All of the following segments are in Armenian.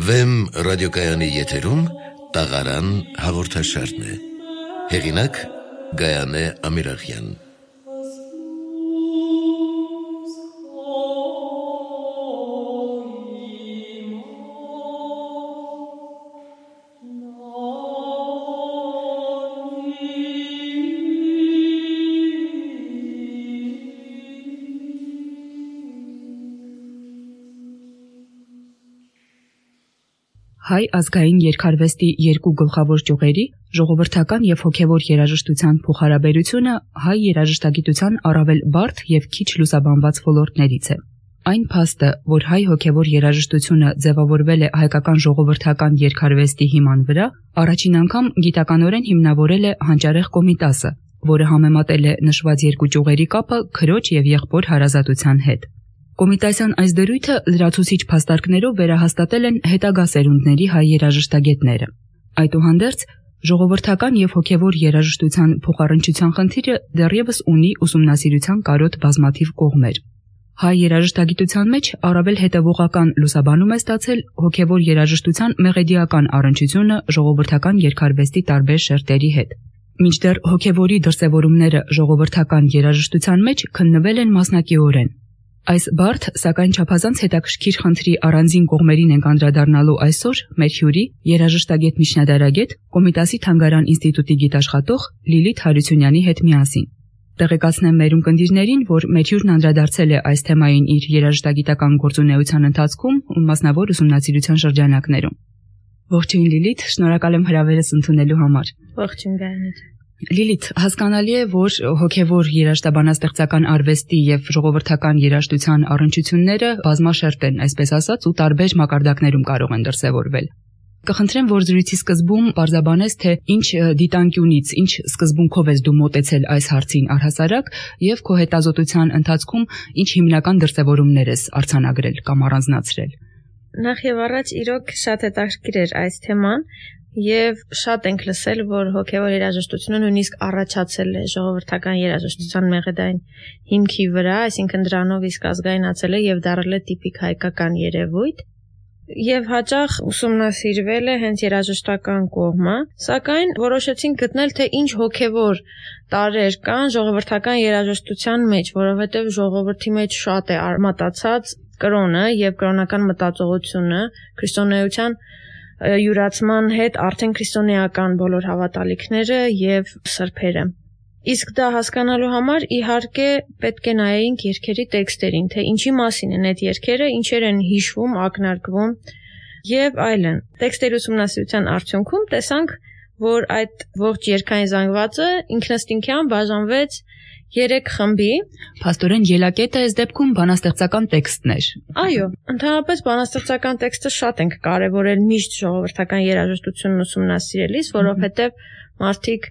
Վեմ ռադիոկայանի եթերում տաղարան հաղորդաշարն է։ Հեղինակ Գայանե Ամիրախյան։ Հայ ազգային երգարվեստի երկու գլխավոր ճյուղերի՝ ժողովրդական և հոգևոր երաժշտության փոխհարաբերությունը հայ երաժշտագիտության առավել բարդ և քիչ լուսաբանված ոլորտներից է։ Այն փաստը, որ հայ հոգևոր երաժշտությունը ձևավորվել է հայկական ժողովրդական երգարվեստի հիման վրա, առաջին անգամ գիտականորեն հիմնավորել է Հանճարեղ Կոմիտասը, որը համեմատել է նշված երկու ճյուղերի կապը քրոջ և եղբոր հարազատության հետ։ Կոմիտասյան այս դրույթը լրացուցիչ փաստարկներով վերահաստատել են հետագա սերունդների հայ երաժշտագետները։ Այդուհանդերձ, ժողովրդական և հոգևոր երաժշտության փոխառնչության խնդիրը դեռևս ունի ուսումնասիրության կարոտ բազմաթիվ կողմեր։ Հայ երաժշտագիտության մեջ առավել հետևողական լուսաբանում է ստացել հոգևոր երաժշտության մեղեդիական առնչությունը ժողովրդական երգարվեստի տարբեր շերտերի հետ։ Մինչդեռ հոգևորի դրսևորումները ժողովրդական երաժշտության մեջ քննվել են մասնակիորեն։ Այս բարդ, սակայն չափազանց հետաքրքիր խնդրի առանձին կողմերին ենք անդրադառնալու այսօր մեր հյուրի, երաժշտագետ միջնադարագետ, Կոմիտասի Թանգարան ինստիտուտի գիտաշխատող Լիլիթ Հարությունյանի հետ միասին։ Տեղեկացնեմ մեր ունկնդիրներին, որ մեր հյուրն անդրադարձել է այս թեմային իր երաժշտագիտական գործունեության ընթացքում ու մասնավոր ուսումնասիրության շրջանակներում։ Ողջույն Լիլիթ, շնորհակալ եմ հրավերս ընդունելու համար։ Ողջույն Գայանե։ Լիլիթ, հասկանալի է, որ հոգևոր երաժշտաբանաստեղծական արվեստի և ժողովրդական երաժշտության առնչությունները բազմաշերտ են, այսպես ասած, ու տարբեր մակարդակներում կարող են դրսևորվել։ Կխնդրեմ, որ զրույցի սկզբում պարզաբանես, թե ինչ դիտանկյունից, ինչ սկզբունքով ես դու մոտեցել այս հարցին առհասարակ և քո հետազոտության ընթացքում ինչ հիմնական դրսևորումներ ես արձանագրել կամ առանձնացրել։ Նախ եւ առաջ իրոք շատ հետաքրքիր էր այս թեման եւ շատ ենք լսել, որ հոգեվոր երաժշտությունը նույնիսկ առաջացել է ժողովրդական երաժշտության մեղեդային հիմքի վրա, այսինքն դրանով իսկ ազգայնացել է եւ դարձել է տիպիկ հայկական երևույթ եւ հաճախ ուսումնասիրվել է հենց երաժշտական կողմը, սակայն որոշեցինք գտնել, թե ինչ հոգեվոր տարրեր կան ժողովրդական երաժշտության մեջ, որովհետեւ ժողովրդի մեջ շատ է արմատացած կրոնը եւ կրոնական մտածողությունը, քրիստոնեության յուրացման հետ արդեն քրիստոնեական բոլոր հավատալիքները եւ սրբերը։ Իսկ դա հասկանալու համար իհարկե պետք է նայենք երգերի տեքստերին, թե ինչի մասին են այդ երգերը, ինչեր են հիշվում, ակնարկվում եւ այլն։ Տեքստերի ուսումնասիրության արդյունքում տեսանք, որ այդ ողջ երգային զանգվածը ինքնըստինքյան բաժանվեց 3 խմբի։ Փաստորեն ելակետը այս դեպքում բանաստեղծական տեքստն էր։ Այո, ընդհանրապես բանաստեղծական տեքստը շատ ենք կարևորել միշտ ժողովրդական երաժշտությունն ուսումնասիրելիս, որովհետև մարդիկ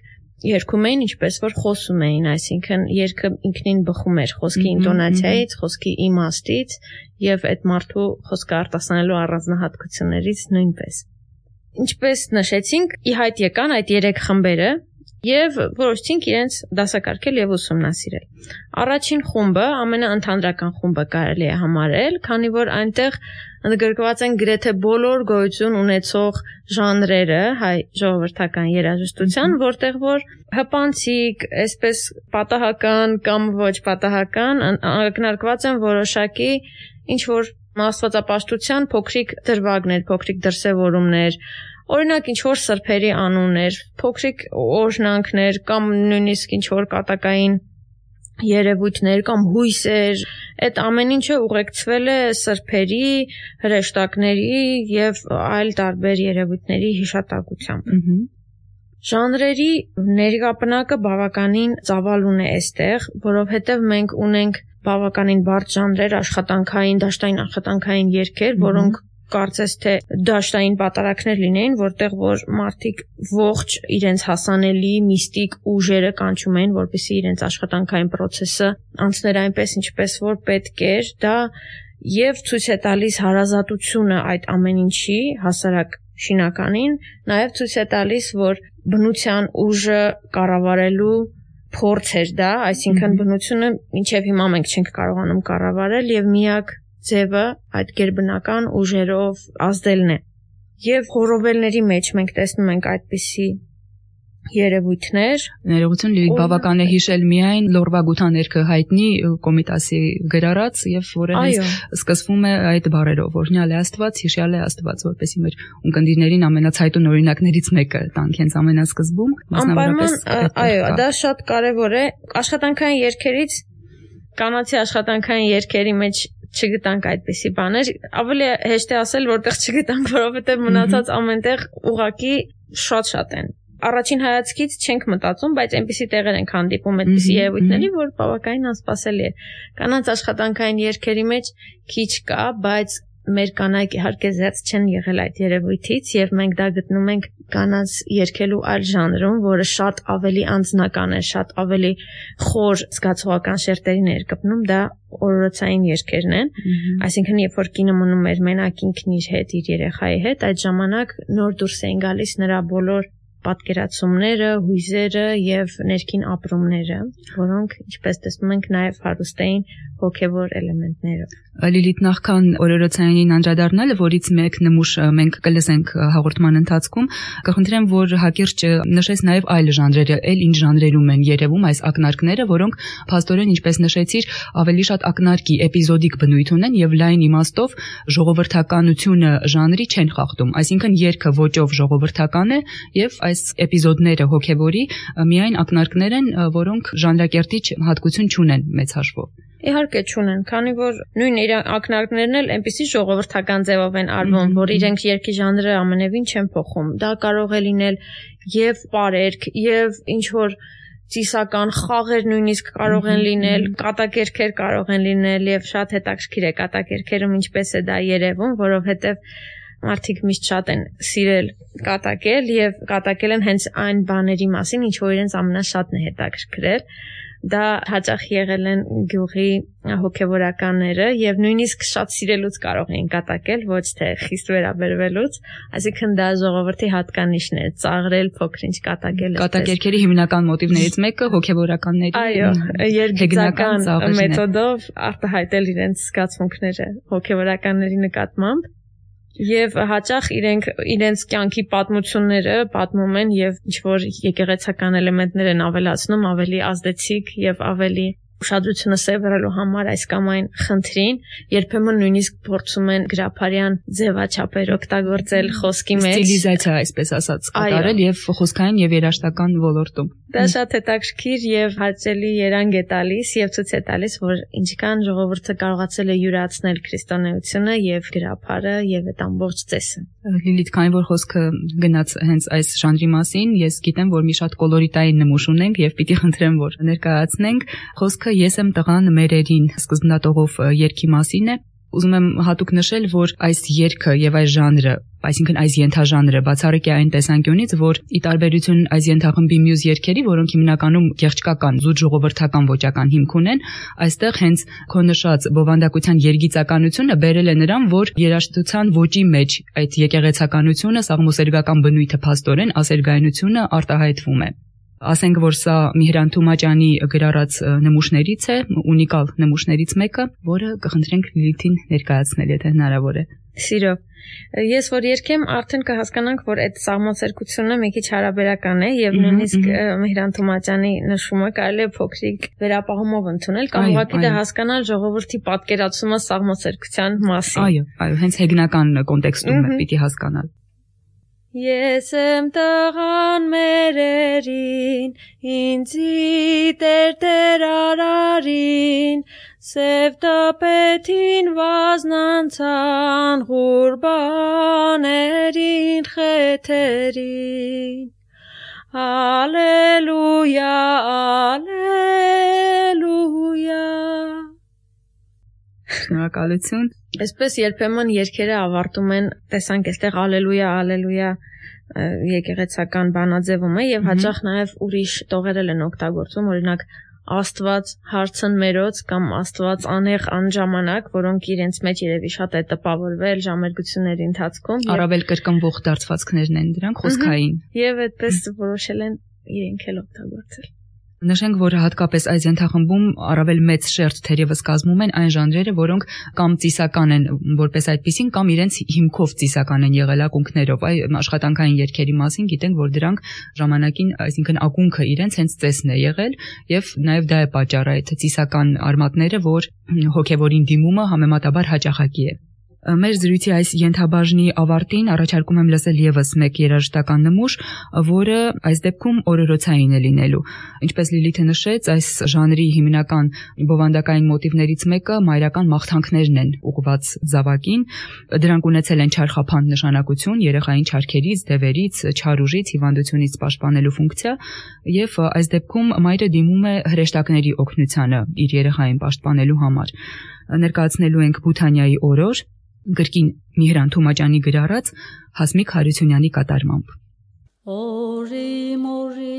երգում էին ինչպես որ խոսում էին, այսինքն երգը ինքնին բխում էր խոսքի ինտոնացիայից, խոսքի իմաստից եւ այդ մարդու խոսքը արտասանելու առանձնահատկություններից նույնպես։ Ինչպես նշեցինք, ի հայտ եկան այդ 3 խմբերը եւ որոշեցինք իրենց դասակարգել եւ ուսումնասիրել։ Առաջին խումբը ամենաընդհանրական խումբը կարելի է համարել, քանի որ այնտեղ ընդգրկված են գրեթե բոլոր գոյություն ունեցող ժանրերը հայ ժողովրդական երաժշտության, որտեղ որ հպանցիկ, այսպես պատահական կամ ոչ պատահական ակնարկված են որոշակի ինչ որ աստվածապաշտության փոքրիկ դրվագներ, փոքրիկ դրսևորումներ, օրինակ ինչ որ սրբերի անուններ, փոքրիկ օրհնանքներ կամ նույնիսկ ինչ որ կատակային երևույթներ կամ հույսեր, այդ ամեն ինչը ուղեկցվել է սրբերի, հրեշտակների եւ այլ տարբեր երևույթների հիշատակությամբ։ Ժանրերի ներկապնակը բավականին ծավալուն է այստեղ, որովհետեւ մենք ունենք բավականին բարդ ժանրեր, աշխատանքային, դաշտային աշխատանքային երգեր, որոնք կարծես թե դաշտային պատարակներ լինեին, որտեղ որ մարդիկ ողջ իրենց հասանելի միստիկ ուժերը կանչում էին, որպեսզի իրենց աշխատանքային process-ը անցներ այնպես, ինչպես որ պետք էր, դա եւ ցույց է տալիս հարազատությունը այդ ամեն ինչի հասարակ շինականին, նաեւ ցույց է տալիս, որ բնության ուժը կառավարելու փորձ էր դա, այսինքն բնությունը մինչեւ հիմա մենք չենք կարողանում կառավարել եւ միակ ձևը այդ գերբնական ուժերով ազդելն է։ Եվ հորովելների մեջ մենք տեսնում ենք այդպիսի երևույթներ։ Ներողություն Լիլիթ, բավական է հիշել միայն Լորվա գութաներքը հայտնի Կոմիտասի գրառած եւ որը սկսվում է այդ բառերով, օրհնյալ է Աստված, հիշյալ է Աստված, որպեսզի մեր ունկնդիրներին ամենացայտուն օրինակներից մեկը տանք հենց ամենասկզբում, մասնավորապես այո, դա շատ կարեւոր է։ Աշխատանքային երգերից կանացի աշխատանքային երգերի մեջ չգտանք այդպիսի բաներ, ավելի հեշտ է ասել, որտեղ չգտանք, որովհետեւ մնացած ամենտեղ ուղակի շատ են։ Առաջին հայացքից չենք մտածում, բայց այնպիսի տեղեր ենք հանդիպում այդպիսի երևույթների, որ բավականին անսպասելի է։ Կանանց աշխատանքային երգերի մեջ քիչ կա, բայց մեր կանայք իհարկե զերծ չեն եղել այդ երևույթից եւ մենք դա գտնում ենք կանանց երգելու այլ ժանրում, որը շատ ավելի անձնական է, շատ ավելի խոր զգացողական շերտերի ներկպնում, դա օրորոցային երգերն են, այսինքն երբ որ կինը մնում էր մենակ ինքն իր հետ, իր երեխայի հետ, այդ ժամանակ նոր դուրս էին գալիս նրա բոլոր պատկերացումները, հույզերը եւ ներքին ապրումները, որոնք ինչպես տեսնում ենք նաեւ հարուստ էին հոգեվոր էլեմենտներով։ Լիլիթ, նախքան օրորոցայինին անդրադառնալը, որից մեկ նմուշ մենք կլսենք հաղորդման ընթացքում, կխնդրեմ, որ հակիրճ նշես նաեւ այլ ժանրերը, ինչ ժանրերում են երևում այս ակնարկները, որոնք փաստորեն, ինչպես նշեցիր, ավելի շատ ակնարկի էպիզոդիկ բնույթ ունեն եւ լայն իմաստով ժողովրդականությունը ժանրի չեն խախտում, այսինքն երգը ոճով ժողովրդական է եւ այս էպիզոդները հոգեվորի միայն ակնարկներ են, որոնք ժանրակերտիչ հատկություն չունեն մեծ հաշվով։ Իհարկե չունեն, քանի որ նույն իր ակնարկներն էլ այնպիսի ժողովրդական ձևով են արվում, որ իրենք երգի ժանրը ամենևին չեն փոխում։ Դա կարող է լինել եւ պարերգ, եւ ինչ որ ծիսական խաղեր նույնիսկ կարող են լինել, կատակերգեր կարող են լինել եւ շատ հետաքրքիր է կատակերգերում ինչպես է դա երևում, որովհետեւ մարդիկ միշտ շատ են սիրել կատակել եւ կատակել են հենց այն բաների մասին, ինչ որ իրենց ամենաշատն է հետաքրքրել։ Դա հաճախ եղել են գյուղի հոգևորականները եւ նույնիսկ շատ սիրելուց կարող էին կատակել, ոչ թե խիստ վերաբերվելուց, այսինքն դա ժողովրդի հատկանիշն է, ծաղրել, փոքրինչ կատակել։ Կատակերգերի հիմնական մոտիվներից մեկը հոգևորականների երգիծական մեթոդով արտահայտել իրենց զգացմունքները հոգևորականների նկատմամբ։ Եվ հաճախ իրենց կյանքի պատմությունները պատմում են եւ ինչ որ եկեղեցական էլեմենտներ են ավելացնում, ավելի ազդեցիկ եւ ավելի ուշադրությունը սևեռելու համար այս կամ այն խնդրին, երբեմն նույնիսկ փորձում են գրափարյան ձևաչափեր օգտագործել խոսքի մեջ, ստիլիզացիա, այսպես ասած, կատարել եւ խոսքային եւ երաժշտական ոլորտում։ Դա շատ հետաքրքիր եւ հաճելի երանգ է տալիս եւ ցույց է տալիս, որ ինչքան ժողովուրդը կարողացել է յուրացնել քրիստոնեությունը եւ գրափարը եւ այդ ամբողջ ծեսը։ Լիլիթ, քանի որ խոսքը գնաց հենց այս ժանրի մասին, ես գիտեմ, որ մի շատ կոլորիտային նմուշ ունենք եւ պիտի խնդրեմ, որ ներկայացնենք խոսքը «Ես եմ տղան մերերին» սկզբնատողով երգի մասին է։ Ուզում եմ հատուկ նշել, որ այս երգը եւ այս ժանրը, այսինքն այս ենթաժանրը բացառիկ է այն տեսանկյունից, որ ի տարբերություն այս ենթախմբի մյուս երգերի, որոնք հիմնականում գեղչկական, զուտ ժողովրդական ոճական հիմք ունեն, այստեղ հենց քո նշած բովանդակության երգիծականությունը բերել է նրան, որ երաժշտության ոճի մեջ այդ եկեղեցականությունը, սաղմոսերգական բնույթը փաստորեն ասերգայնությունը արտահայտվում է։ Ասենք, որ սա Միհրան Թումաճյանի գրառած նմուշներից է, ունիկալ նմուշներից մեկը, որը կխնդրենք Լիլիթին ներկայացնել, եթե հնարավոր է։ Սիրով։ Ես որ երգեմ, արդեն կհասկանանք, որ այդ սաղմոսերգությունը մի քիչ հարաբերական է եւ նույնիսկ Միհրան Թումաճյանի նշումը կարելի է փոքրիկ վերապահումով ընդունել, կամ ուղղակի դա հասկանալ ժողովրդի պատկերացումը սաղմոսերգության մասին։ Այո, հենց հեգնական կոնտեքստում է պիտի հասկանալ։ Ես եմ տղան մերերին, ինձի Տեր արարին, սև տապետին վազնանցան, ղուրբաներին խեթերին, ալելույա, ալելույա։ Շնորհակալություն։ Այսպես երբեմն երգերը ավարտում են, տեսանք այստեղ ալելույա, ալելույա եկեղեցական բանաձևում է եւ հաճախ նաեւ ուրիշ տողերել են օգտագործում, օրինակ Աստված հարցն մերոց կամ Աստված անեղ անժամանակ, որոնք իրենց մեջ երևի շատ է տպավորվել ժամերգությունների ընթացքում, առավել կրկնվող դարձվածքներն են դրանք խոսքային։ Եվ այդպես որոշել են իրենք էլ օգտագործել։ Նշենք, որ հատկապես այս ենթախմբում առավել մեծ շերտ թերևս կազմում են այն ժանրերը, որոնք կամ ծիսական են որպես այդպիսին, կամ իրենց հիմքով ծիսական են եղել ակունքներով։ Այ աշխատանքային երգերի մասին գիտենք, որ դրանք ժամանակին, այսինքն ակունքը իրենց հենց ծեսն է եղել, եւ նաեւ դա է պատճառը այդ ծիսական արմատները, որ հոգեվորին դիմումը համեմատաբար հաճախակի է։ Մեր զրույցի այս ենթաբաժնի ավարտին առաջարկում եմ լսել եւս մեկ երաժշտական նմուշ, որը այս դեպքում օրորոցային է լինելու։ Ինչպես Լիլիթը նշեց, այս ժանրի հիմնական բովանդակային մոտիվներից մեկը մայրական մաղթանքներն են ուղղված զավակին։ Դրանք ունեցել են չարխափանդ նշանակություն երեխային չարքերից, դևերից, չար ուժից, հիվանդությունից պաշտպանելու ֆունկցիա, եւ այս դեպքում մայրը դիմում է հրեշտակների օգնությանը իր երեխային պաշտպանելու համար։ Ներկայացնելու ենք Բութանիայի օրոր, գրքին Միհրան Թումաճյանի գրառած Հասմիկ Հարությունյանի կատարմամբ։ Օրի մորի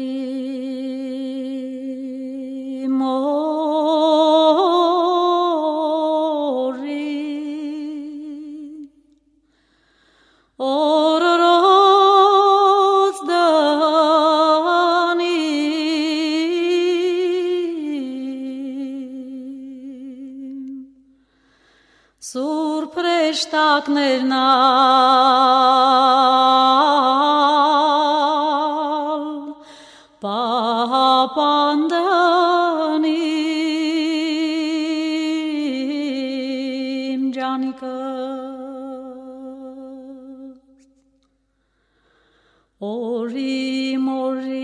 օրորոց դանի Սուրբ հրեշտակներն պահապանդանին ջանիկս Օրի մորի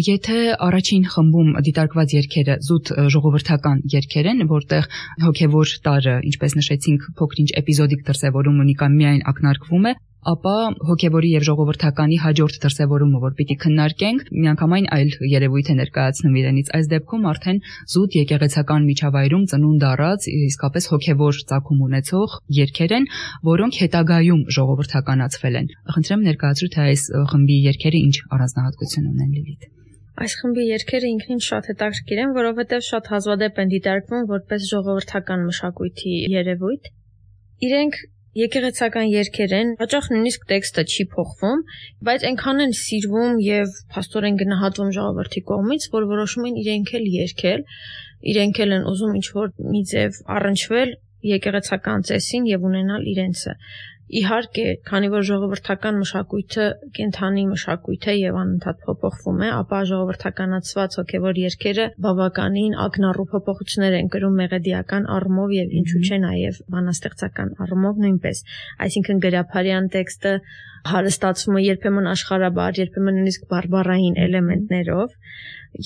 Եթե առաջին խմբում դիտարկված երգերը զուտ ժողովրդական երգեր են, որտեղ հոգևոր տարը, ինչպես նշեցինք, փոքր-ինչ էպիզոդիկ դրսևորում ունի կամ միայն ակնարկվում է, ապա հոգևորի եւ ժողովրդականի հաջորդ դրսևորումը, որ պիտի քննարկենք, միանգամայն այլ երևույթ է ներկայացնում իրենից։ Այս դեպքում արդեն զուտ եկեղեցական միջավայրում ծնունդ առած, իսկապես հոգևոր ծագում ունեցող երգեր են, որոնք հետագայում ժողովրդականացվել են։ Խնդրեմ ներկայացրու, թե այս խմբի երգերը ինչ առանձնահատկություն ունեն, Լիլիթ։ Այս խմբի երգերը ինքնին շատ հետաքրքիր են, որովհետև շատ հազվադեպ են դիտարկվում որպես ժողովրդական մշակույթի երևույթ։ Իրենք եկեղեցական երգեր են, հաճախ նույնիսկ տեքստը չի փոխվում, բայց այնքան են սիրվում եւ փաստորեն գնահատվում ժողովրդի կողմից, որ որոշում են իրենք էլ երգել, իրենք էլ են ուզում ինչ-որ մի ձև առնչվել եկեղեցական ծեսին եւ ունենալ իրենցը։ Իհարկե, քանի որ ժողովրդական մշակույթը կենթանի մշակույթ է եւ անընդհատ փոփոխվում է, ապա ժողովրդականացված հոգեվոր երգերը բավականին ակնառու փոփոխություններ են կրում մեղեդիական առումով եւ ինչու՞ չէ նաեւ բանաստեղծական առումով նույնպես։ Այսինքն գրափարյան տեքստը հարստացվում է երբեմն աշխարհաբար, երբեմն նույնիսկ բարբառային էլեմենտներով,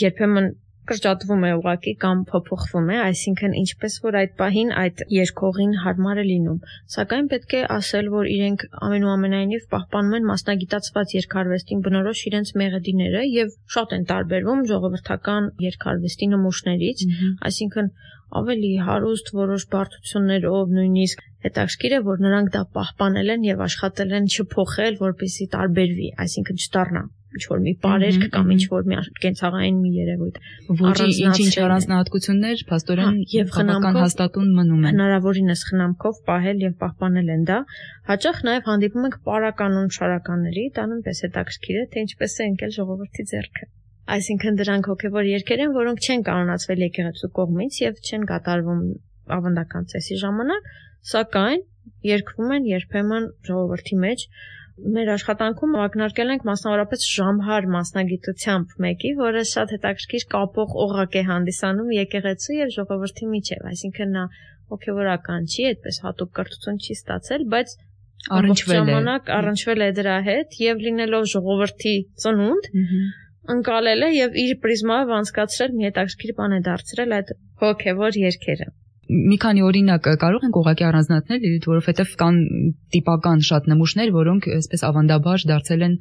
երբեմն կրճատվում է ուղղակի կամ փոփոխվում է, այսինքն ինչպես որ այդ պահին այդ երգողին հարմար է լինում։ Սակայն պետք է ասել, որ իրենք ամենուամենայնիվ պահպանում են մասնագիտացված երգարվեստին բնորոշ իրենց մեղեդիները եւ շատ են տարբերվում ժողովրդական երգարվեստի նմուշներից, այսինքն ավելի հարուստ որոշ բարդություններով, նույնիսկ հետաքրքիր է, որ նրանք դա պահպանել են եւ աշխատել են չփոխել, որպեսզի տարբերվի, այսինքն չդառնա ինչ-որ մի բարերք կամ ինչ-որ մի կենցաղային մի երևույթ։ Ոչի ինչ-ինչ առանձնահատկություններ փաստորեն եւ խնամքով հաստատուն մնում են։ Հնարավորինս խնամքով պահել եւ պահպանել են դա։ Հաճախ նաեւ հանդիպում ենք պարականոն շարականների, դա նույնպես հետաքրքիր է, թե ինչպես է ընկել ժողովրդի ձեռքը։ Այսինքն դրանք հոգեվոր երգեր են, որոնք չեն կանոնացվել եկեղեցու կողմից եւ չեն կատարվում ավանդական ծեսի ժամանակ, սակայն երգվում են երբեմն ժողովրդի մեջ։ Մեր աշխատանքում ակնարկել ենք մասնավորապես ժամհար մասնագիտությամբ մեկի, որը շատ հետաքրքիր կապող օղակ է հանդիսանում եկեղեցու եւ ժողովրդի միջեւ, այսինքն նա հոգեվորական չի, այդպես հատուկ կրթություն չի ստացել, բայց առնչվել է դրա հետ եւ լինելով ժողովրդի ծնունդ, ընկալել է եւ իր պրիզմայով անցկացրել մի հետաքրքիր բան է դարձրել այդ հոգեվոր երգերը։ Մի քանի օրինակ կարող ենք ուղղակի առանձնացնել, որովհետև կան տիպական շատ նմուշներ, որոնք այսպես ավանդաբար դարձել են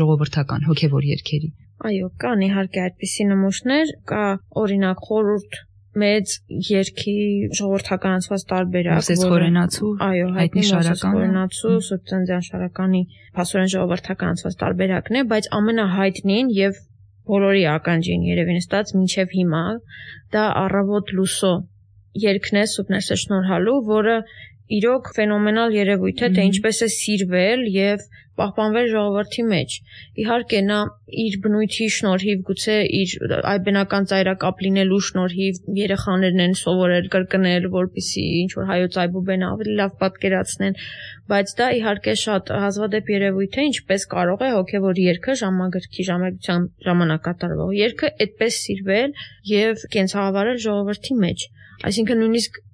ժողովրդական հոգևոր երգերի։ Այո, կան իհարկե այդպիսի նմուշներ, կա օրինակ խորհուրդ մեծ երգի ժողովրդականացված տարբերակ, Մովսես Խորենացու, այո, հայտնի Մովսես Խորենացու, Սուբծանձյան Շարականի փաստորեն ժողովրդականացված տարբերակն է, բայց ամենահայտնին եւ բոլորի ականջին երևի նստած մինչև հիմա դա Առավոտ լուսո երգն է Սուրբ Ներսես շնորհալու, որը իրոք ֆենոմենալ երևույթ է, թե ինչպես է սիրվել եւ պահպանվել ժողովրդի մեջ։ Իհարկե նա իր բնույթի շնորհիվ, գուցե իր այբենական ծայրակապ լինելու շնորհիվ երեխաներն են սովորել կրկնել, որպեսզի ինչ որ հայոց այբուբենը ավելի լավ պատկերացնեն, բայց դա իհարկե շատ հազվադեպ երևույթ է, ինչպես կարող է հոգևոր երգը ժամագրքի ժամերգության ժամանակ կատարվող երգը այդպես սիրվել եւ կենցաղավարել ժողովրդի մեջ։ Այսինքն նույնիսկ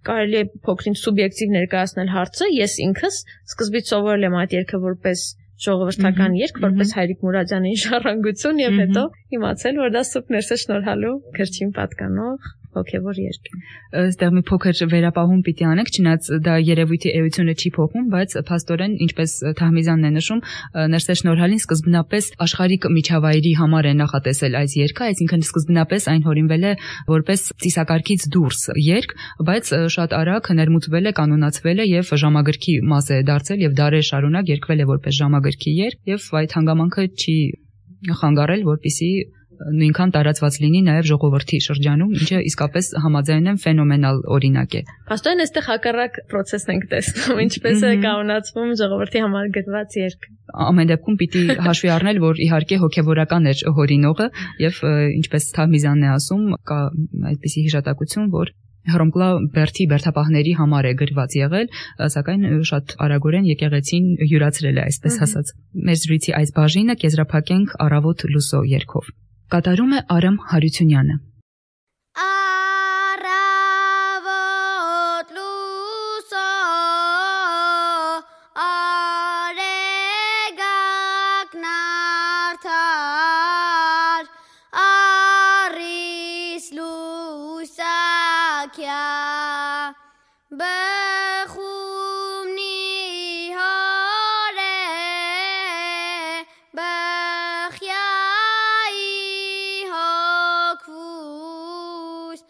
կարելի է փոքրինչ սուբյեկտիվ ներկայացնել հարցը, ես ինքս սկզբից սովորել եմ այդ երգը որպես ժողովրդական երգ, որպես Հայրիկ Մուրադյանի ժառանգություն եւ հետո իմացել, որ դա Սուրբ Ներսես շնորհալու գրչին պատկանող հոգևոր երգ է։ Այստեղ մի փոքր վերապահում պիտի անենք, չնայած դա երևույթի էությունը չի փոխում, բայց փաստորեն, ինչպես Թահմիզյանն է նշում, Ներսես շնորհալին սկզբնապես աշխարհիկ միջավայրի համար է նախատեսել այս երգը, այսինքն սկզբնապես այն հորինվել է որպես ծիսակարգից դուրս երգ, բայց շատ արագ ներմուծվել է, կանոնացվել է եւ ժամագրքի մաս է դարձել եւ դարեր շարունակ երգվել է որպես ժամագրքի երգ եւ այդ հանգամանքը չի խանգարել, որպեսզի նույնքան տարածված լինի նաև ժողովրդի շրջանում, ինչը իսկապես համաձայն եմ ֆենոմենալ օրինակ է։ Փաստորեն այստեղ հակառակ process-ն ենք տեսնում, ինչպես է կանոնացվում ժողովրդի համար գրված երգ։ Ամեն դեպքում պիտի հաշվի առնել, որ իհարկե հոգևորական էր հորինողը եւ ինչպես Թահմիզյանն է ասում, կա այդպիսի հիշատակություն, որ Հռոմկլա Բերթի բերթապահների համար է գրված եղել, սակայն շատ արագորեն եկեղեցին յուրացրել է, այսպես ասած։ Մեր զրույցի այս բաժինը կեզրափակենք Առավոտ լուսո երգով։ Կատարում է Արամ Հարությունյանը։ Առավոտ լուսո արեգակն արդար առիս լուսակյա բխումնի հորե բխյայի հոգվուս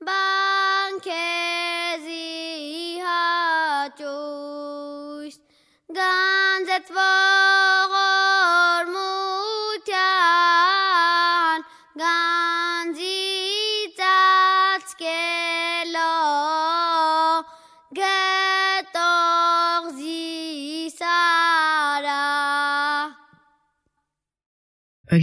բանքեզի հաճույս գանձեցվող օրմության գանձի ծածկելով գետող զիսարա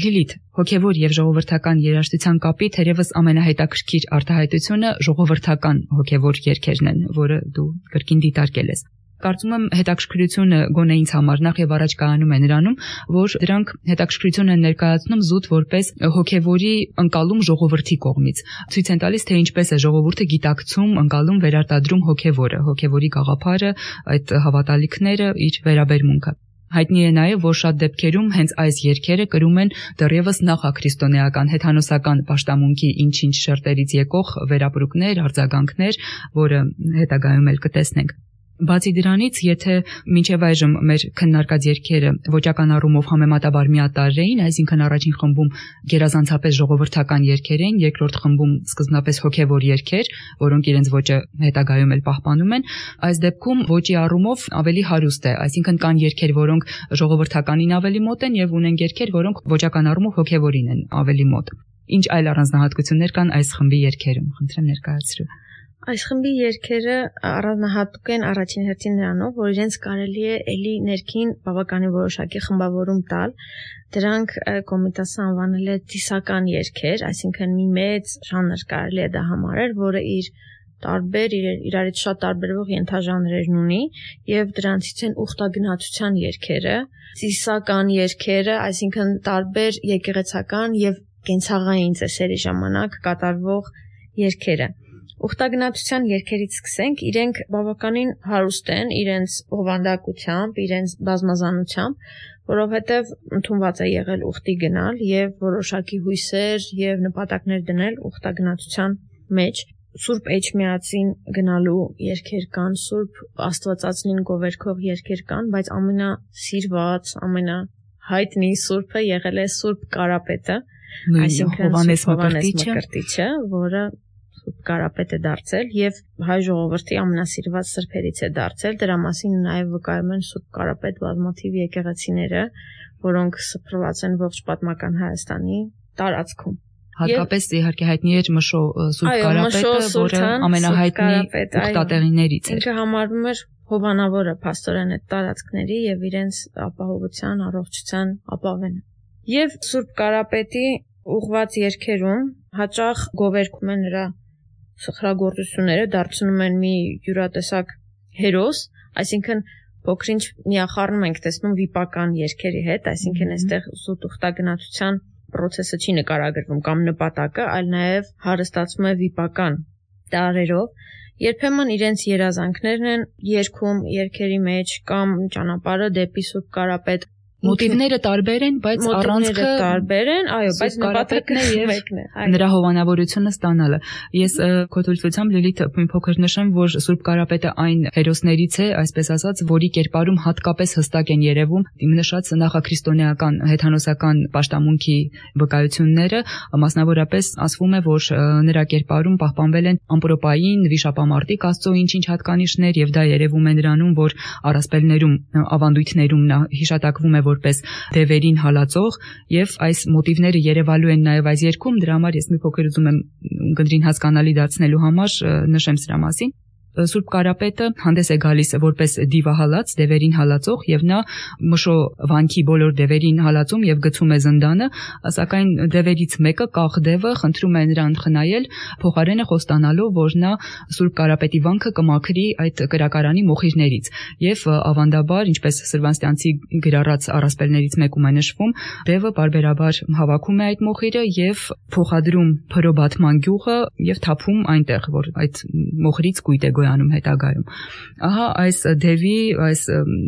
Լիլիթ, հոգևոր եւ ժողովրդական երաժշտության կապի թերևս ամենահետաքրքիր արտահայտությունը ժողովրդական հոգևոր երգերն են, որը դու կրկին դիտարկել ես։ Կարծում եմ հետաքրքրությունը գոնե ինձ համար նախ եւ առաջ կայանում է նրանում, որ դրանք հետաքրքրություն են ներկայացնում զուտ որպես հոգևորի ընկալում ժողովրդի կողմից։ Ցույց են տալիս, թե ինչպես է ժողովուրդը գիտակցում, ընկալում, վերարտադրում հոգևորը, հոգևորի գաղափարը, այդ հավատալիքները, իր վերաբերմունքը։ Հայտնի է նաև, որ շատ դեպքերում հենց այս երգերը կրում են դեռևս նախաքրիստոնեական հեթանոսական պաշտամունքի ինչ-ինչ շերտերից եկող վերապրուկներ, արձագանքներ, որը հետագայում էլ կտեսնենք։ Բացի դրանից, եթե մինչև այժմ մեր քննարկած երգերը ոճական առումով համեմատաբար միատարր էին, այսինքն առաջին խմբում գերազանցապես ժողովրդական երգեր էին, երկրորդ խմբում սկզբնապես հոգևոր երգեր, որոնք իրենց ոճը հետագայում էլ պահպանում են, այս դեպքում ոճի առումով ավելի հարուստ է, այսինքն կան երգեր, որոնք ժողովրդականին ավելի մոտ են եւ ունեն երգեր, որոնք ոճական առումով հոգևորին են ավելի մոտ։ Ինչ այլ առանձնահատկություններ կան այս խմբի երգերում, խնդրեմ ներկայացրու։ Այս խմբի երգերը առանձնահատուկ են առաջին հերթին նրանով, որ իրենց կարելի է էլի ներքին բավականին որոշակի խմբավորում տալ։ Դրանք Կոմիտասը անվանել է ծիսական երգեր, այսինքն մի մեծ ժանր կարելի է դա համարել, որը իր տարբեր իրարից շատ տարբերվող ենթաժանրերն ունի, եւ դրանցից են ուխտագնացության երգերը, ծիսական երգերը, այսինքն տարբեր եկեղեցական եւ կենցաղային ծեսերի ժամանակ կատարվող երգերը։ Ուխտագնացության երգերից սկսենք, իրենք բավականին հարուստ են իրենց հովանդակությամբ, իրենց բազմազանությամբ, որովհետև ընդունված է եղել ուխտի գնալ եւ որոշակի հույսեր եւ նպատակներ դնել ուխտագնացության մեջ։ Սուրբ Էջմիածին գնալու երգեր կան, Սուրբ Աստվածածնին գովերգող երգեր կան, բայց ամենասիրված, ամենահայտնի Սուրբը եղել է Սուրբ Կարապետը, այսինքն Հովհաննես Մկրտիչը, որը Սուրբ Կարապետ է դարձել եւ հայ ժողովրդի ամենասիրված սրբերից է դարձել։ Դրա մասին նաեւ վկայում են Սուրբ Կարապետ բազմաթիվ եկեղեցիները, որոնք սփռված են ողջ պատմական Հայաստանի տարածքում։ Հատկապես իհարկե հայտնի էր Մշո Սուրբ Կարապետը, որը ամենահայտնի ուխտատեղիներից էր։ Ինքը համարվում էր հովանավորը փաստորեն այդ տարածքների եւ իրենց ապահովության, առողջության ապավենը։ Եվ Սուրբ Կարապետի ուղված երգերում հաճախ գովերգում են նրա սխրագործությունները, դարձնում են մի յուրատեսակ հերոս, այսինքն փոքրինչ միախառնում ենք տեսնում վիպական երգերի հետ, այսինքն այստեղ զուտ ուխտագնացության process-ը չի նկարագրվում կամ նպատակը, այլ նաև հարստացում է վիպական տարերով։ Երբեմն իրենց երազանքներն են երգում երգերի մեջ կամ ճանապարհը դեպի Սուրբ Կարապետ։ Մոտիվները տարբեր են, բայց առանցքը տարբեր են, այո, բայց նպատակը մեկն է։ Նրա հովանավորությունը ստանալը։ Ես քո թույլտվությամբ Լիլիթ մի փոքր նշեմ, որ Սուրբ Կարապետը այն հերոսներից է, այսպես ասած, որի կերպարում հատկապես հստակ են երևում նշած նախաքրիստոնեական հեթանոսական պաշտամունքի վկայությունները, մասնավորապես ասվում է, որ նրա կերպարում պահպանվել են ամպրոպային, վիշապամարտիկ Աստծո ինչ-ինչ հատկանիշներ, եւ դա երևում է նրանում, որ առասպելներում, ավանդույթներում նա հիշատակվում է որպես դևերին հալածող, եւ այս մոտիվները երևալու են նաեւ այս երգում, դրա համար ես մի փոքր ուզում եմ գնդրին հասկանալի դարձնելու համար նշեմ սրա մասին։ Սուրբ Կարապետը հանդես է գալիս որպես դիվահալած, դևերին հալածող, եւ նա Մշո վանքի բոլոր դևերին հալածում եւ գցում է զնդանը, սակայն դևերից մեկը կախ դևը խնդրում է նրան խնայել, փոխարենը խոստանալով, որ նա Սուրբ Կարապետի վանքը կմաքրի այդ կրակարանի մոխիրներից, եւ ավանդաբար, ինչպես Սրվանստյանցի գրառած առասպելներից մեկում է նշվում, դևը բարբերաբար հավաքում է այդ մոխիրը եւ փոխադրում Փրոբաթման գյուղը եւ թափում այնտեղ, որ այդ մոխիրից կույտ է անում հետագայում։ Ահա այս դևի, այս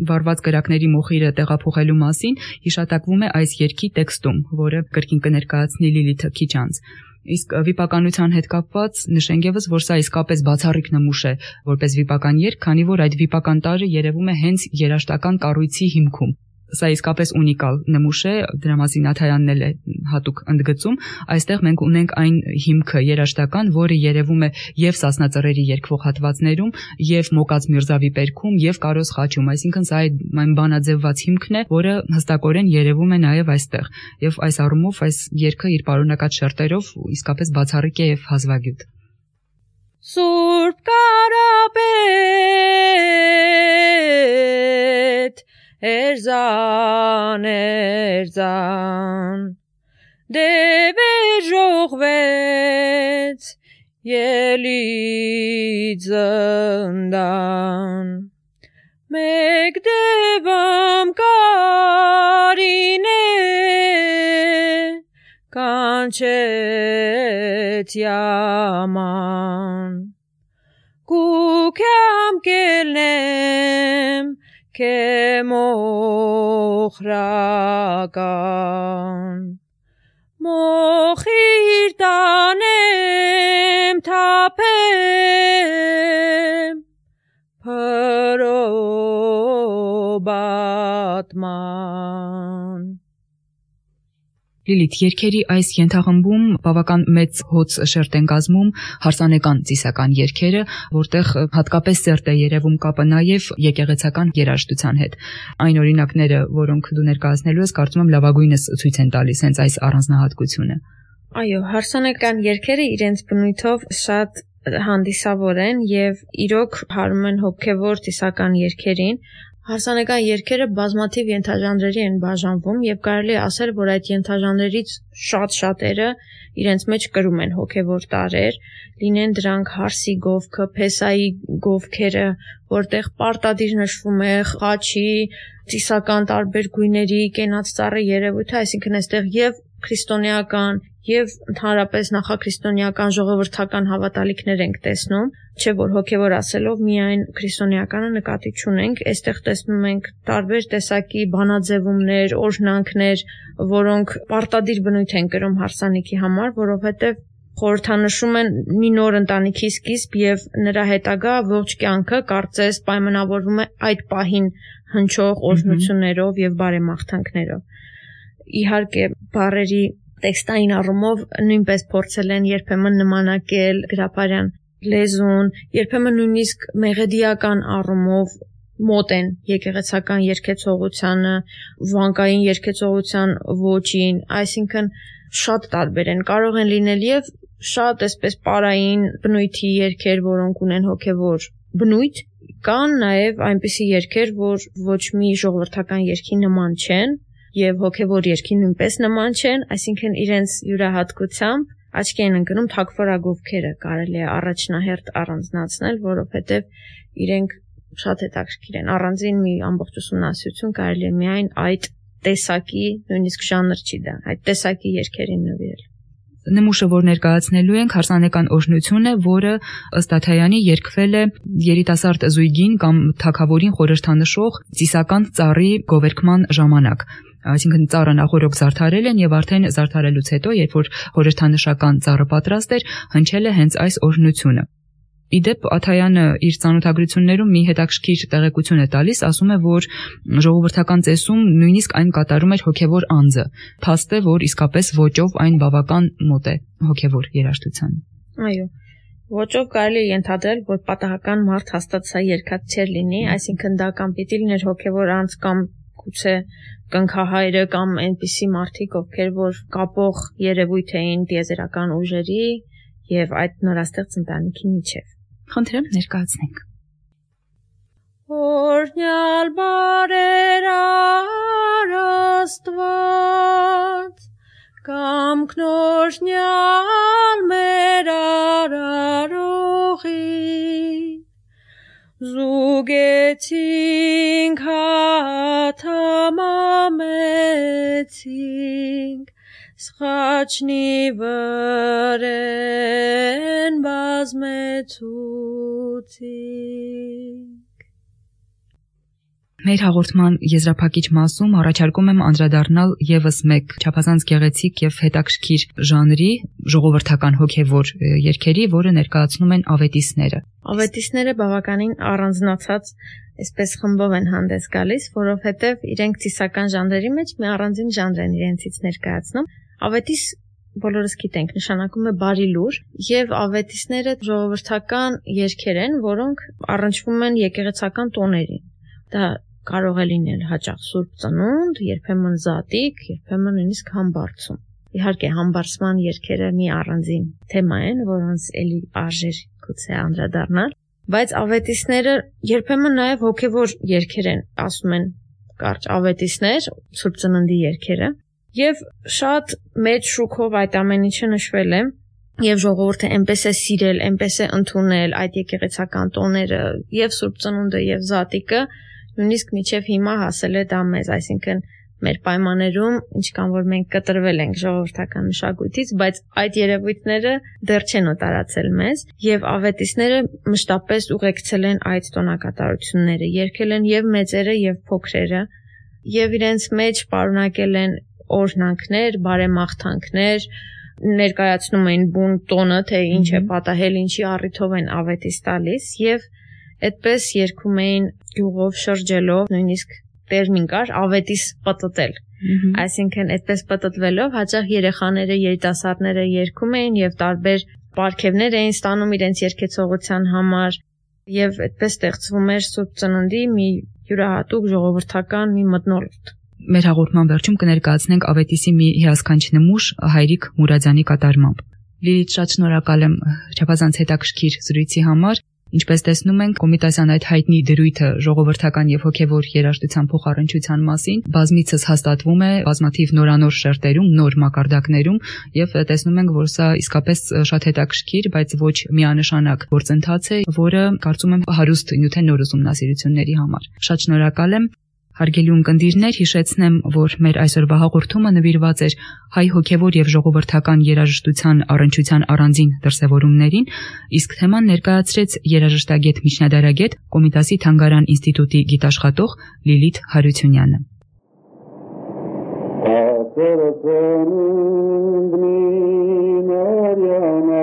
վառված կրակների մոխիրը տեղափոխելու մասին հիշատակվում է այս երգի տեքստում, որը կրկին կներկայացնի Լիլիթը քիչ անց։ Իսկ վիպականության հետ կապված նշենք եւս, որ սա իսկապես բացառիկ նմուշ է որպես վիպական երգ, քանի որ այդ վիպական տարրը երևում է հենց երաշտական կառույցի հիմքում։ Սա իսկապես ունիկալ նմուշ է, դրա մասին Նաթայանն էլ է հատուկ ընդգծում։ Այստեղ մենք ունենք այն հիմքը երաշտական, որը երևում է եւ Սասնա ծռերի երգվող հատվածներում, եւ Մոկած Միրզավի պերքում, եւ Կարոս խաչում, այսինքն սա այն բանաձևված հիմքն է, որը հստակորեն երևում է նաեւ այստեղ։ Եվ այս առումով այս երգը իր պարունակած շերտերով իսկապես բացառիկ է եւ հազվագյուտ։ Սուրբ Կարապետ Էրզան, Էրզան, դևեր ժողվեց, ելի զնդան, մեկ դևամ կարինե, կանչեց yaman, կուքյամ կելնեմ, Քեմոխրական մոխիր տանեմ թափեմ Փրոբաթման։ Լիլիթ, երգերի այս ենթախմբում բավական մեծ հոծ շերտ են կազմում հարսանեկան ծիսական երգերը, որտեղ հատկապես սերտ է երևում կապը նաև եկեղեցական երաժշտության հետ։ Այն օրինակները, որոնք դու ներկայացնելու ես, կարծում եմ լավագույնս ցույց են տալիս հենց այս առանձնահատկությունը։ Այո, հարսանեկան երգերը իրենց բնույթով շատ հանդիսավոր են եւ իրոք հարում են հոգեվոր ծիսական երգերին։ Հարսանեկան երգերը բազմաթիվ ենթաժանրերի են բաժանվում եւ կարելի է ասել, որ այդ ենթաժանրերից շատերը իրենց մեջ կրում են հոգեվոր տարրեր, լինեն դրանք հարսի գովքը, փեսայի գովքերը, որտեղ պարտադիր նշվում է խաչի, ծիսական տարբեր գույների, կենաց ծառի երևույթը, այսինքն այստեղ եւ քրիստոնեական եւ ընդհանրապես նախաքրիստոնեական ժողովրդական հավատալիքներ ենք տեսնում, չէ որ հոգեվոր ասելով միայն քրիստոնեականը նկատի չունենք, այստեղ տեսնում ենք տարբեր տեսակի բանաձևումներ, օրհնանքներ, որոնք պարտադիր բնույթ են կրում հարսանիքի համար, որովհետեւ խորհրդանշում են մի նոր ընտանիքի սկիզբ եւ նրա հետագա ողջ կյանքը կարծես պայմանավորվում է այդ պահին հնչող օրհնություններով եւ բարեմաղթանքներով։ Իհարկե, բառերի տեքստային առումով նույնպես փորձել են երբեմն նմանակել գրապարյան լեզուն, երբեմն նույնիսկ մեղեդիական առումով մոտ են եկեղեցական երգեցողությանը, վանկային երգեցողության ոճին, այսինքն շատ տարբեր են, կարող են լինել եւ շատ այսպես պարային բնույթի երգեր, որոնք ունեն հոգեվոր բնույթ, կան նաեւ այնպիսի երգեր, որ ոչ մի ժողովրդական երգի նման չեն եւ հոգեվոր երգի նույնպես նման չեն, այսինքն իրենց յուրահատկությամբ աչքի են ընկնում թագվորագովքերը, կարելի է առաջնահերթ առանձնացնել, որովհետեւ իրենք շատ հետաքրքիր են, առանձին մի ամբողջ ուսումնասիրություն կարելի է միայն այդ տեսակի, նույնիսկ ժանր չի դա, այդ տեսակի երգերին նվիրել։ Նմուշը, որ ներկայացնելու ենք, հարսանեկան օրհնություն է, որը ըստ Աթայանի երգվել է երիտասարդ զույգին կամ թագավորին խորհրդանշող ծիսական ծառի գովերքման ժամանակ։ Այսինքն ծառը նախորոք զարդարել են եւ արդեն զարդարելուց հետո, երբ որ խորհրդանշական ծառը պատրաստ էր, հնչել է հենց այս օրհնությունը։ Իդեպ Աթայանը իր ծանոթագրություններում մի հետաքրքիր տեղեկություն է տալիս, ասում է, որ ժողովրդական ծեսում նույնիսկ այն կատարում էր հոգևոր անձը, փաստ է, որ իսկապես ոճով այն բավական մոտ է հոգևոր երաժշտությանը։ Այո, ոճով կարելի է ենթադրել, որ պատահական մարդ հաստատ սա երգած չէր լինի, այսինքն դա կամ պիտի լիներ հոգևոր անձ կամ գուցե կնքահայրը կամ այնպիսի մարդիկ, ովքեր որ կապող երևույթ էին տիեզերական ուժերի եւ այդ նորաստեղծ ընտանիքի միջև։ Խնդրեմ ներկայացնենք։ Օրհնյալ բարեր Աստված, կամքն օրհնյալ մեր արարողի, զուգեցինք հաթամամեցինք, սխաչնի վրեն բազմեցուցինք։ Մեր հաղորդման եզրափակիչ մասում առաջարկում եմ անդրադառնալ եւս մեկ չափազանց գեղեցիկ եւ հետաքրքիր ժանրի, ժողովրդական հոգեվոր երգերի, որը ներկայացնում են ավետիսները։ Ավետիսները բավականին առանձնացած այսպես խմբով են հանդես գալիս, որովհետև իրենք ծիսական ժանրերի մեջ մի առանձին ժանր են իրենցից ներկայացնում։ Ավետիս բոլորս գիտենք, նշանակում է բարի լուր, եւ ավետիսները ժողովրդական երգեր են, որոնք առնչվում են եկեղեցական տոներին։ Դա կարող է լինել հաճախ Սուրբ Ծնունդ, երբեմն Զատիկ, երբեմն նույնիսկ Համբարձում։ Իհարկե, համբարձման երգերը մի առանձին թեմա են, որոնց էլի արժեր գուցե անդրադառնալ, բայց ավետիսները երբեմն նաեւ հոգեվոր երգեր են, ասում են կարճ ավետիսներ, Սուրբ Ծննդի երգերը, եւ շատ մեծ շուքով այդ ամեն ինչը նշվել է, եւ ժողովուրդը այնպես է սիրել, այնպես է ընդունել այդ եկեղեցական տոները, եւ Սուրբ Ծնունդը եւ Զատիկը, նույնիսկ մինչև հիմա հասել է դա մեզ, այսինքն մեր պայմաններում, ինչքան որ մենք կտրվել ենք ժողովրդական մշակույթից, բայց այդ երևույթները դեռ չեն օտարացել մեզ, եւ ավետիսները մշտապես ուղեկցել են այդ տոնակատարությունները, երգել են եւ մեծերը եւ փոքրերը, եւ իրենց մեջ պարունակել են օրհնանքներ, բարեմաղթանքներ, ներկայացնում են բուն տոնը, թե ինչ է պատահել, ինչի առիթով են ավետիս տալիս, եւ այդպես երգում էին գյուղով շրջելով, նույնիսկ տերմին կար ավետիս պտտել։ Այսինքն այդպես պտտվելով հաճախ երեխաները, երիտասարդները երգում էին եւ տարբեր պարգևներ էին ստանում իրենց երգեցողության համար եւ այդպես ստեղծվում էր Սուրբ Ծննդի մի յուրահատուկ ժողովրդական մի մթնոլորտ։ Մեր հաղորդման վերջում կներկայացնենք ավետիսի մի հիասքանչ նմուշ Հայրիկ Մուրադյանի կատարմամբ։ Լիլիթ, շատ շնորհակալ եմ չափազանց հետաքրքիր զրույցի համար։ Ինչպես տեսնում ենք, Կոմիտասյան այդ հայտնի դրույթը ժողովրդական եւ հոգեվոր երաժշտության փոխառնչության մասին բազմիցս հաստատվում է բազմաթիվ նորանոր շերտերում, նոր մակարդակներում եւ տեսնում ենք, որ սա իսկապես շատ հետաքրքիր, բայց ոչ միանշանակ գործընթաց է, որը կարծում եմ հարուստ նյութ է նոր ուսումնասիրությունների համար։ Շատ շնորհակալ եմ։ Հարգելի ունկնդիրներ, հիշեցնեմ, որ մեր այսօրվա հաղորդումը նվիրված էր հայ հոգևոր եւ ժողովրդական երաժշտության առնչության առանձին դրսևորումներին, իսկ թեման ներկայացրեց երաժշտագետ միջնադարագետ Կոմիտասի Թանգարան ինստիտուտի գիտաշխատող Լիլիթ Հարությունյանը։ Ահ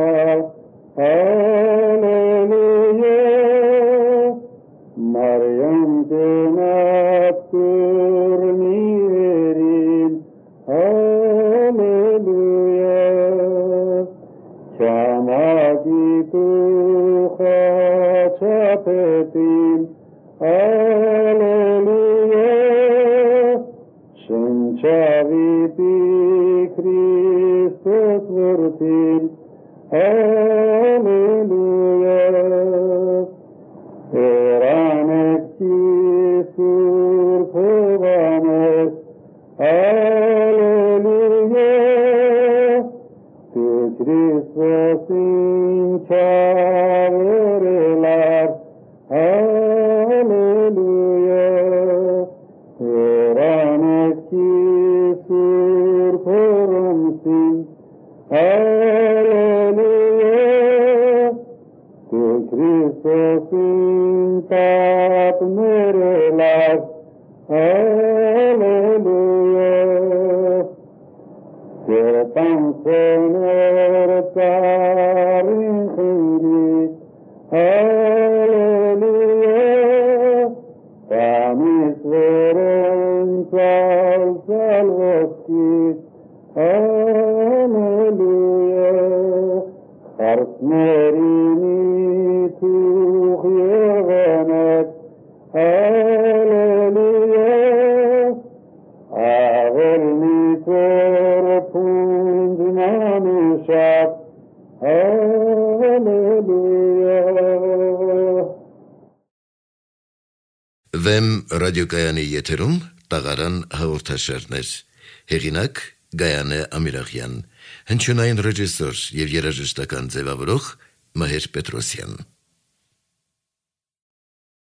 Ագիտու խաչապետին, Ալելույա, շնչավիտի Քրիստոս որդին, Ալելույա, Երանեկի Սուրբ Հովանես, Ալելույա, Դու Քրիստոսին չավերելար, Ալելույա, Երանեկի Սուրբ Հորոմսին, Ալելույա, Դու Քրիստոսին տապներելար, Ալելույա, Գետանցոներ ծարին խնդի, Ալելույա, Տանիս վերեն ծալցալ ոսկի, Ալելույա, Խարսներինի թուղ եղանակ, Ալելույա, Ավելնի ծոր փունջմանուշակ, Ալելույա։ Վեմ ռադիոկայանի եթերում տաղարան հաղորդաշարներ։ Հեղինակ Գայանե Ամիրախյան, հնչյունային ռեժիսոր եւ երաժշտական ձևավորող Մհեր Պետրոսյան։